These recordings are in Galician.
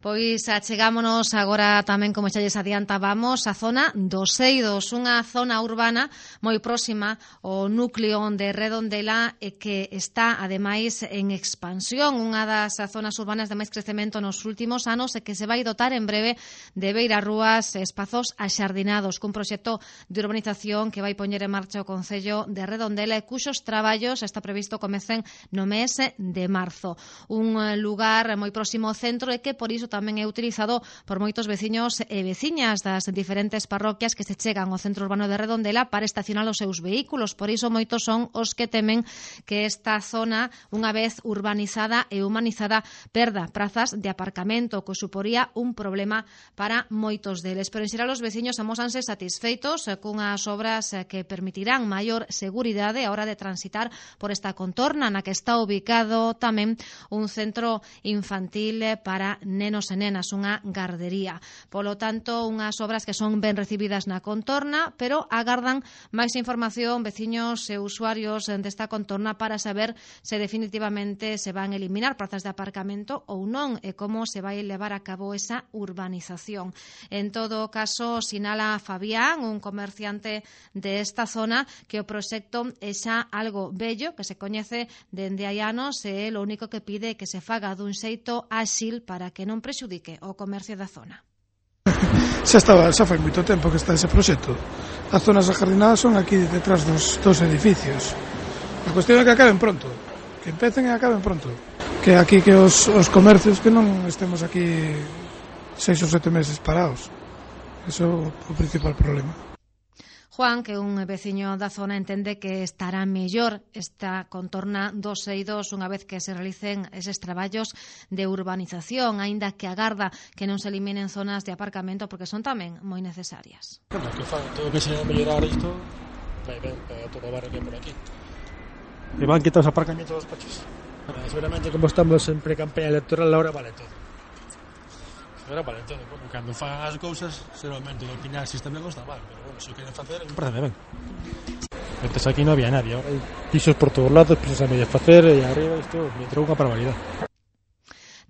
Pois achegámonos agora tamén, como xa lles adiantábamos, a zona dos Eidos, unha zona urbana moi próxima ao núcleo de Redondela e que está, ademais, en expansión, unha das zonas urbanas de máis crecemento nos últimos anos e que se vai dotar en breve de beirarrúas e espazos axardinados, cun proxecto de urbanización que vai poñer en marcha o Concello de Redondela e cuxos traballos está previsto comecen no mes de marzo. Un lugar moi próximo ao centro e que por iso tamén é utilizado por moitos veciños e veciñas das diferentes parroquias que se chegan ao centro urbano de Redondela para estacionar os seus vehículos. Por iso moitos son os que temen que esta zona, unha vez urbanizada e humanizada, perda prazas de aparcamento, que suporía un problema para moitos deles. Pero en xeral os veciños amósanse satisfeitos cunhas obras que permitirán maior seguridade a hora de transitar por esta contorna na que está ubicado tamén un centro infantil para nenos e nenas, unha gardería. Polo tanto, unhas obras que son ben recibidas na contorna, pero agardan máis información veciños e usuarios desta contorna para saber se definitivamente se van eliminar prazas de aparcamento ou non e como se vai levar a cabo esa urbanización. En todo caso, sinala Fabián, un comerciante de esta zona, que o proxecto é xa algo bello, que se coñece dende hai anos e o único que pide é que se faga dun xeito áxil para que non prexudique o comercio da zona. Xa fai moito tempo que está ese proxecto. As zonas ajardinadas son aquí detrás dos edificios. A cuestión é que acaben pronto, que empecen e acaben pronto. Que aquí que os comercios que non estemos aquí 6 ou 7 meses parados. Eso é o principal problema. Juan, que é un veciño da zona, entende que estará mellor esta contorna dos Eidos unha vez que se realicen eses traballos de urbanización, aínda que agarda que non se eliminen zonas de aparcamento porque son tamén moi necesarias. Bueno, que fan todo que se mellorar isto, vai ben para todo o barrio que por aquí. E van quitar os aparcamentos dos coches. Bueno, seguramente como estamos en pre-campaña electoral, ahora vale todo. Ahora vale todo, bueno, cando fan as cousas, seguramente o opinar si está ben ou está mal, pero bueno, se o queren facer, me parece ben. Antes aquí non había nadie, ahora hai pisos por todos lados, pisos a medio facer, e arriba isto me trou unha barbaridade.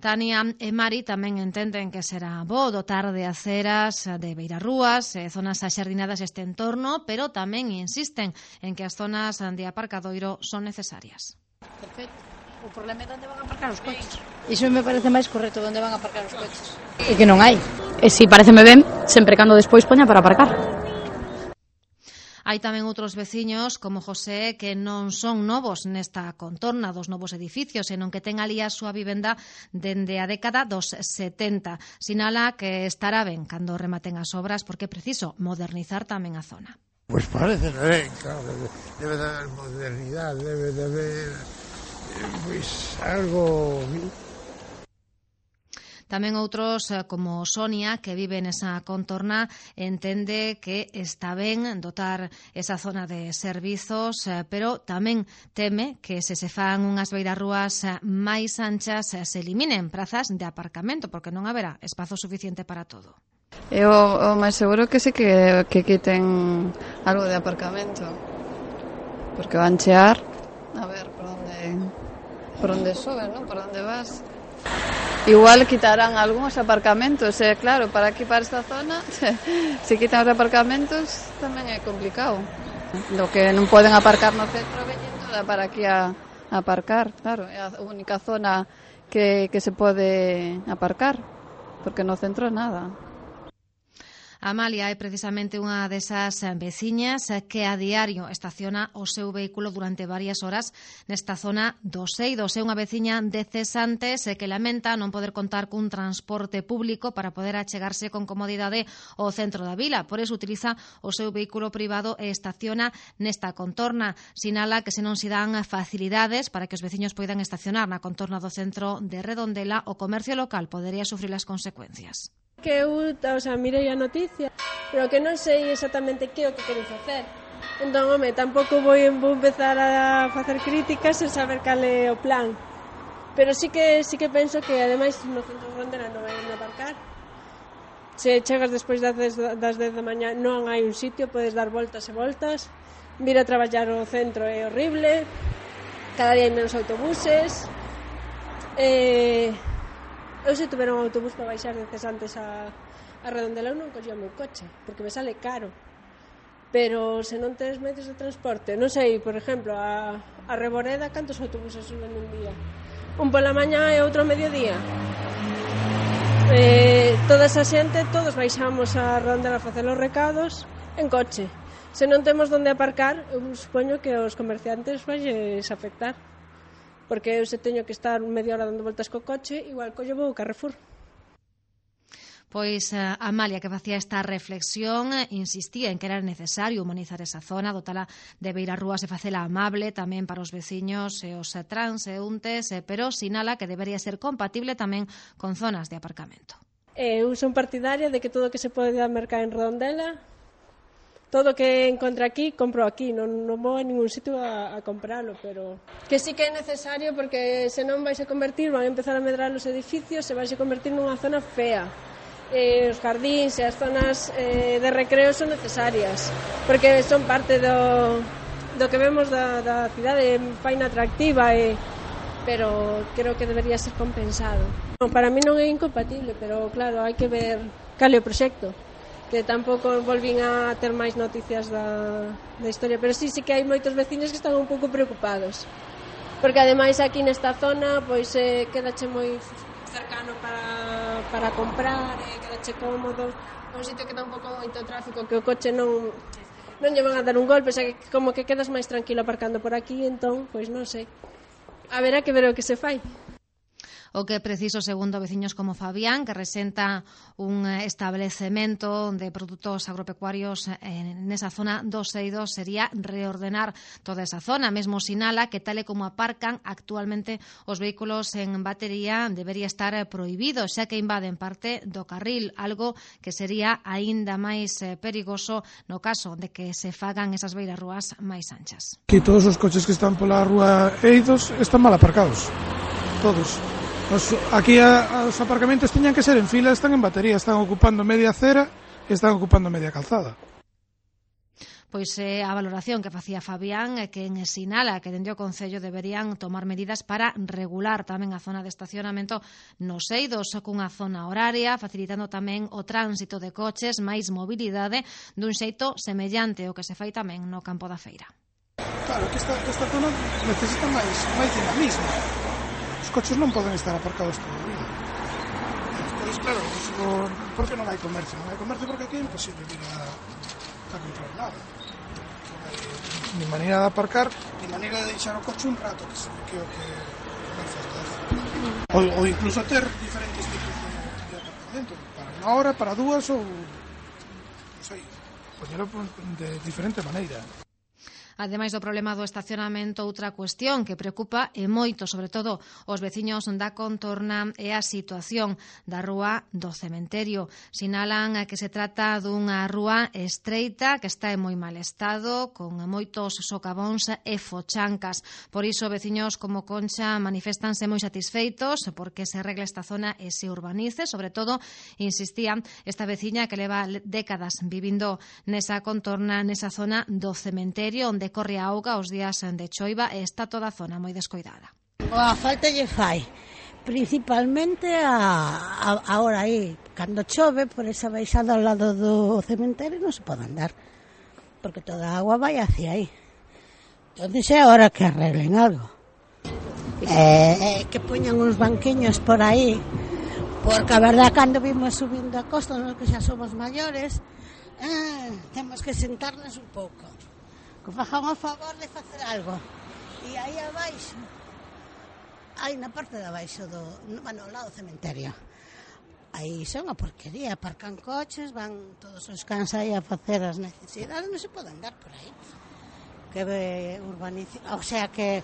Tania e Mari tamén entenden que será bo dotar de aceras, de beirarrúas, zonas axardinadas este entorno, pero tamén insisten en que as zonas de aparcadoiro son necesarias. Perfecto. O problema é onde van a aparcar os coches. Iso me parece máis correcto, onde van a aparcar os coches. E que non hai. E si pareceme ben, sempre cando despois poña para aparcar. Hai tamén outros veciños, como José, que non son novos nesta contorna dos novos edificios, senón que ten ali a súa vivenda dende a década dos 70. Sinala que estará ben cando rematen as obras porque é preciso modernizar tamén a zona. Pois parece ben, claro, debe de haber modernidade, debe de haber pois algo. Tamén outros, como Sonia, que vive nesa contorna, entende que está ben dotar esa zona de servizos, pero tamén teme que se fan unhas beirarrúas máis anchas se eliminen prazas de aparcamento, porque non haberá espazo suficiente para todo. O máis seguro que sí que quiten algo de aparcamento, porque van chear a ver por onde sobe, ¿no? Por onde vas. Igual quitarán algúns aparcamentos, claro, para aquí, para esta zona, se quitan os aparcamentos tamén é complicado. Lo que non poden aparcar no centro veñen toda para aquí a aparcar, claro, é a única zona que se pode aparcar, porque no centro nada. Amalia é precisamente unha desas veciñas que a diario estaciona o seu vehículo durante varias horas nesta zona dos Eidos. É unha veciña de Cesantes que lamenta non poder contar cun transporte público para poder achegarse con comodidade ao centro da vila. Por iso utiliza o seu vehículo privado e estaciona nesta contorna. Sinala que se non se dan facilidades para que os veciños poidan estacionar na contorna do centro de Redondela, o comercio local podería sufrir as consecuencias. Que eu, mirei a noticia, pero que non sei exactamente que é o que queren facer. Entón, home, tampouco vou empezar a facer críticas sen saber cal é o plan. Pero sí que penso que, ademais, no centro de Redondela non vai aparcar. Se chegas despois das 10 da mañá non hai un sitio, podes dar voltas e voltas. Vir a traballar ao centro é horrible. Cada día hai menos autobuses. Eu se tuver un autobús para baixar de Cesantes a Redondela non collía o meu coche, porque me sale caro. Pero se non tens medios de transporte, non sei, por exemplo, a Reboreda, cantos autobuses suben un día? Un pola mañá e outro ao mediodía. Toda esa xente, todos baixamos a Redondela a facer os recados en coche. Se non temos onde aparcar, eu supoño que os comerciantes vais afectar. Porque eu se teño que estar media hora dando voltas co coche, igual collo vou ao Carrefour. Pois Amalia, que facía esta reflexión, insistía en que era necesario humanizar esa zona, dotala de beirarrúas e facela amable tamén para os veciños e os transeúntes, pero sinala que debería ser compatible tamén con zonas de aparcamento. Eu son partidaria de que todo o que se pode mercar en Redondela, todo o que encontra aquí, compro aquí, non vou a ningún sitio a comprarlo, pero que sí que é necesario porque senón vais a convertir, van a empezar a medrar os edificios e vais a convertir nunha zona fea. Os jardíns e as zonas de recreo son necesarias, porque son parte do que vemos da cidade, faina atractiva, pero creo que debería ser compensado. Para mí non é incompatible, pero claro, hai que ver cal é o proxecto, que tampouco volvín a ter máis noticias da historia, pero sí que hai moitos veciños que están un pouco preocupados, porque ademais aquí nesta zona pois quedache moi cercano para comprar, quedache cómodo, un sitio que dá un pouco moito tráfico, que o coche non lle van a dar un golpe, xa que como que quedas máis tranquilo aparcando por aquí, entón, pois non sei, haberá que ver o que se fai. O que é preciso, segundo veciños como Fabián, que resenta un establecemento de produtos agropecuarios nesa zona 262, sería reordenar toda esa zona. Mesmo sinala que tal e como aparcan actualmente os vehículos en batería debería estar prohibido, xa que invaden parte do carril, algo que sería aínda máis perigoso no caso de que se fagan esas beirarrúas máis anchas. Aquí todos os coches que están pola rúa Eidos están mal aparcados, todos. Aquí os aparcamentos teñan que ser en fila, están en batería, están ocupando media acera e están ocupando media calzada. Pois a valoración que facía Fabián é que sinala que dende o Concello deberían tomar medidas para regular tamén a zona de estacionamento nos eidos cunha zona horaria, facilitando tamén o tránsito de coches, máis mobilidade, dun xeito semellante ao que se fai tamén no campo da feira. Claro, que esta zona necesita máis dinamismo. Os coches non poden estar aparcados todo o día. Entonces, claro, por que non hai comercio? Non hai comercio porque aquí é imposible ir a comprar nada. Ni maneira de aparcar, ni maneira de deixar o coche un rato, que é o que non faz. Ou incluso ter diferentes tipos de aparcamento, para unha hora, para dúas, ou non sei, poñelo de diferente maneira. Ademais do problema do estacionamento, outra cuestión que preocupa e moito, sobre todo os veciños da contorna, é a situación da rúa do Cementerio. Sinalan que se trata dunha rúa estreita que está en moi mal estado, con moitos socavóns e fochancas. Por iso, veciños como Concha manifestanse moi satisfeitos porque se arregle esta zona e se urbanice. Sobre todo, insistía esta veciña que leva décadas vivindo nesa contorna, nesa zona do Cementerio, onde corre a auga os días de choiva e está toda a zona moi descoidada. A falta lle fai, principalmente ahora aí, cando chove, por esa baixada ao lado do cementerio non se pode andar, porque toda a agua vai hacia aí. Entón é hora que arreglen algo. Que poñan uns banquiños por aí, porque a verdad, cando vimos subindo a costa, nos que xa somos maiores, temos que sentarnos un pouco. Que fajan o favor de facer algo. E aí abaixo, aí na parte de abaixo ao lado do cementerio, aí son a porquería, aparcan coches, van todos os cans aí a facer as necesidades, non se pode andar por aí. Que urbanice, o sea, que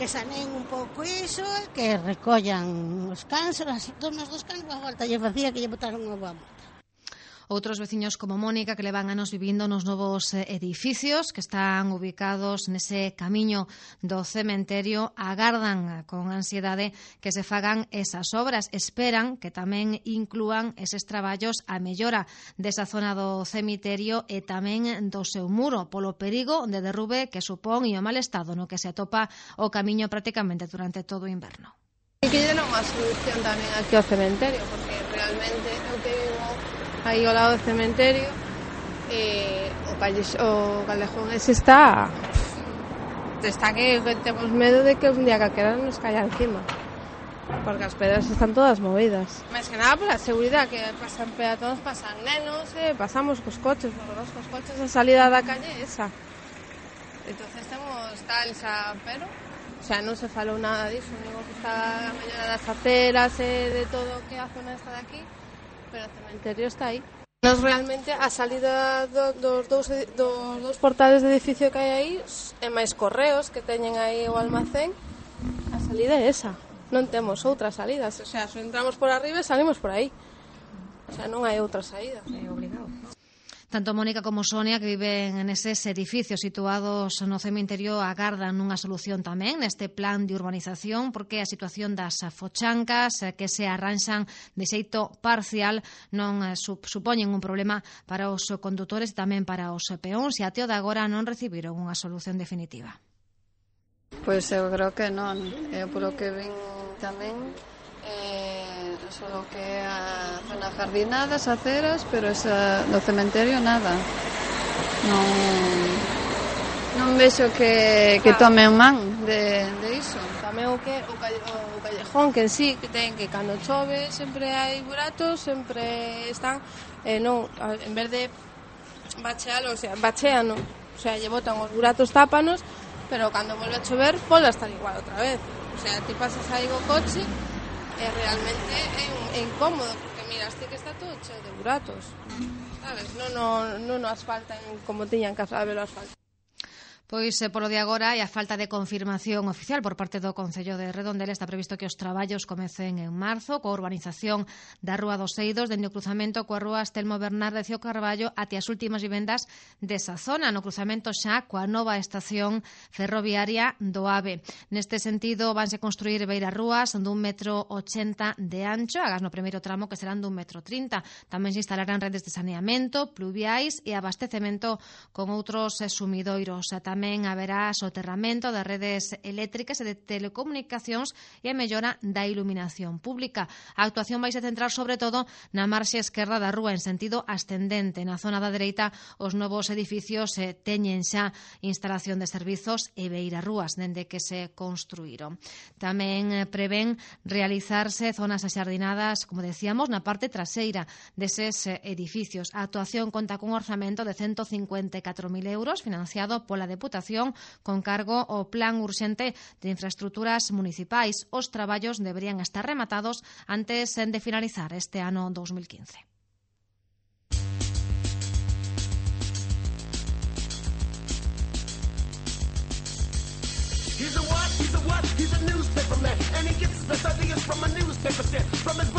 sanen un pouco iso, que recollan os cans, as donas dos cans, a volta lle facía que lle botaron unha boa multa. Outros veciños como Mónica, que levan anos vivindo nos novos edificios que están ubicados nese camiño do cementerio, agardan con ansiedade que se fagan esas obras. Esperan que tamén inclúan eses traballos a mellora desa zona do cemiterio e tamén do seu muro, polo perigo de derrube que supón e o mal estado no que se atopa o camiño prácticamente durante todo o inverno. Que non unha solución tamén aquí ao cementerio, porque realmente eu que vivo aí ao lado do cementerio, o callejón ese está que temos medo de que un día calquera nos caia encima, porque as pedras están todas movidas. Máis que nada pola seguridade, que pasan peatóns, pasan nenos, pasamos cos coches, porque nós cos coches a salida da calle é esa. Entonces temos tal, pero non se falou nada disso, digo que está a mellora das aceras e de todo o que a zona está de aquí, pero o cementerio está aí. Nos realmente a salida dos dous portales de edificio que hai aí e máis correos que teñen aí o almacén, a salida é esa. Non temos outras salidas, se entramos por arriba e salimos por aí. Non hai outra saída. É obligado. Tanto Mónica como Sonia, que viven neses edificios situados no cementerio, agardan unha solución tamén neste plan de urbanización, porque a situación das fochancas que se arranxan de xeito parcial non supoñen un problema para os condutores e tamén para os peóns, e até o de agora non recibiron unha solución definitiva. Pois eu creo que non. Eu polo que vin tamén solo que a zona jardinada, as aceras, pero esa do cementerio nada. Non vexo que tomen man de iso. Tamén o callejón que en sí, que ten que cando chove sempre hai buratos, sempre están en vez de bachealo, bacheano, lle botan os buratos, tápanos, pero cando volve a chover volve a estar igual outra vez. Ti pasas aí co coche e realmente é incómodo, porque miraste que está todo cheo de buratos, sabes? Non o asfaltan como tiñan que haber o asfalto. Pois, polo de agora, e a falta de confirmación oficial por parte do Concello de Redondela, está previsto que os traballos comecen en marzo, coa urbanización da Rúa dos Eidos, dende o cruzamento coa Rúa Estelmo Bernardez Carballo até as últimas vivendas desa zona, no cruzamento xa coa nova estación ferroviaria do AVE. Neste sentido, vanse construir beiras rúas dun 1,80 m de ancho, agás no primeiro tramo que serán dun 1,30 m. Tamén se instalarán redes de saneamento, pluviais e abastecemento con outros sumidoiros. Tamén haberá soterramento de redes eléctricas e de telecomunicacións e a mellora da iluminación pública. A actuación vai se centrar sobre todo na marxe esquerda da rúa en sentido ascendente. Na zona da dereita, os novos edificios teñen xa instalación de servizos e beirarrúas dende que se construíron. Tamén prevén realizarse zonas axardinadas, como decíamos, na parte traseira deses edificios. A actuación conta cun orzamento de 154.000 euros financiado pola Deputación con cargo ao Plan Urxente de Infraestructuras Municipais. Os traballos deberían estar rematados antes de finalizar este ano 2015. He's a newspaper man, and he gets his best ideas from a newspaper stand. From his